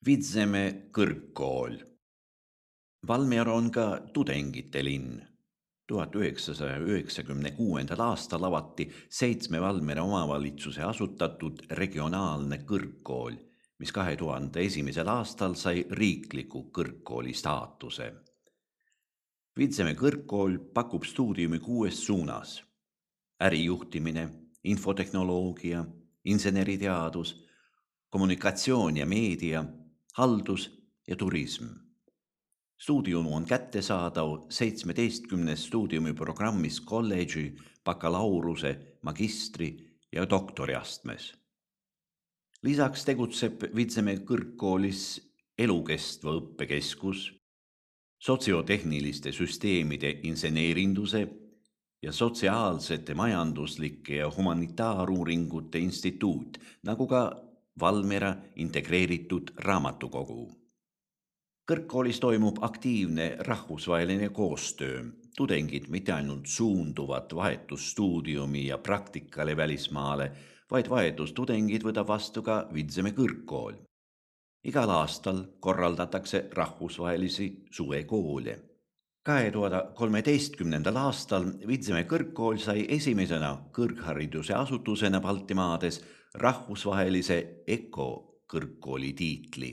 Vidzeme kõrgkool. Valmiera on ka tudengite linn. 1996. aastal avati 7 Valmiera omavalitsuse asutatud regionaalne kõrgkool, mis 2001. aastal sai riikliku kõrgkooli staatuse. Vidzeme kõrgkool pakub stuudiumi 6 suunas: ärijuhtimine, infotehnoloogia, inseneriteadus, kommunikatsioon ja meedia, haldus ja turism. Stuudium on kättesaadav 17 stuudiumiprogrammis kolledži, bakalaureuse, magistri ja doktoriastmes. Lisaks tegutseb Vidzeme kõrgkoolis elukestva õppekeskus, sotsiotehniliste süsteemide inseneerinduse ja sotsiaalsete, majanduslike ja humanitaaruuringute instituut, nagu ka Valmiera integreeritud raamatukogu. Kõrgkoolis toimub aktiivne rahvusvaheline koostöö. Tudengid mitte ainult suunduvad vahetusstuudiumi ja praktikale välismaale, vaid vahetustudengid võtab vastu ka Vidzeme kõrgkool. Igal aastal korraldatakse rahvusvahelisi suvekoole. 2013. aastal Vidzeme kõrgkool sai esimesena kõrghariduse asutusena Baltimaades rahvusvahelise EKO kõrgkooli tiitli.